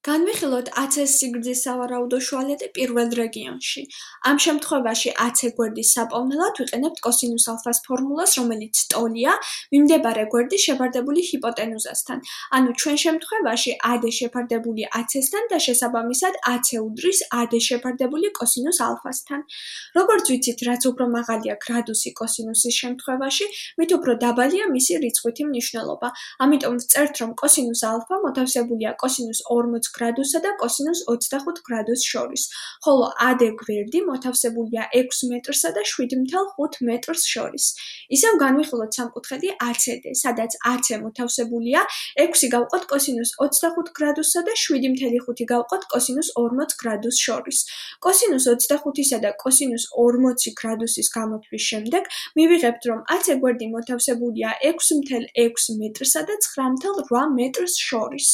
განვიხილოთ AC-ს სიგრძის სავარაუდო შუალედი პირველ რეგიონში. ამ შემთხვევაში AC გვერდის საპოვნელად ვიყენებთ კოსინუს ალფას ფორმულას, რომელიც ტოლია მიმდებარე გვერდის შეფარდებული ჰიპოტენუზასთან. ანუ ჩვენ შემთხვევაში AD შეფარდებული AC-სთან და შესაბამისად AC უდრის AD შეფარდებული კოსინუს ალფასთან. როგორც ვიცით, რაც უფრო მაღალია გრადუსი კოსინუსის შემთხვევაში, მით უფრო დაბალია მისი რიცხვითი მნიშვნელობა. ამიტომ ვწერთ, რომ კოსინუს ალფა მოთავსებულია კოსინუს 40 გრადუსსა და კოსინუს 25 გრადუსს შორის, ხოლო AD გვერდი მოთავსებულია 6 მეტრსა და 7,5 მეტრს შორის. ისევ განვიხილოთ სამკუთხედი ACD, სადაც AC მოთავსებულია 6 გავყოთ კოსინუს 25 გრადუსსა და 7,5 გავყოთ კოსინუს 40 გრადუსს შორის. კოსინუს 25-ისა და კოსინუს 40 გრადუსის გამოთვლის შემდეგ მივიღებთ, რომ AC გვერდი მოთავსებულია 6,6 მეტრსა და 9,8 მეტრს შორის.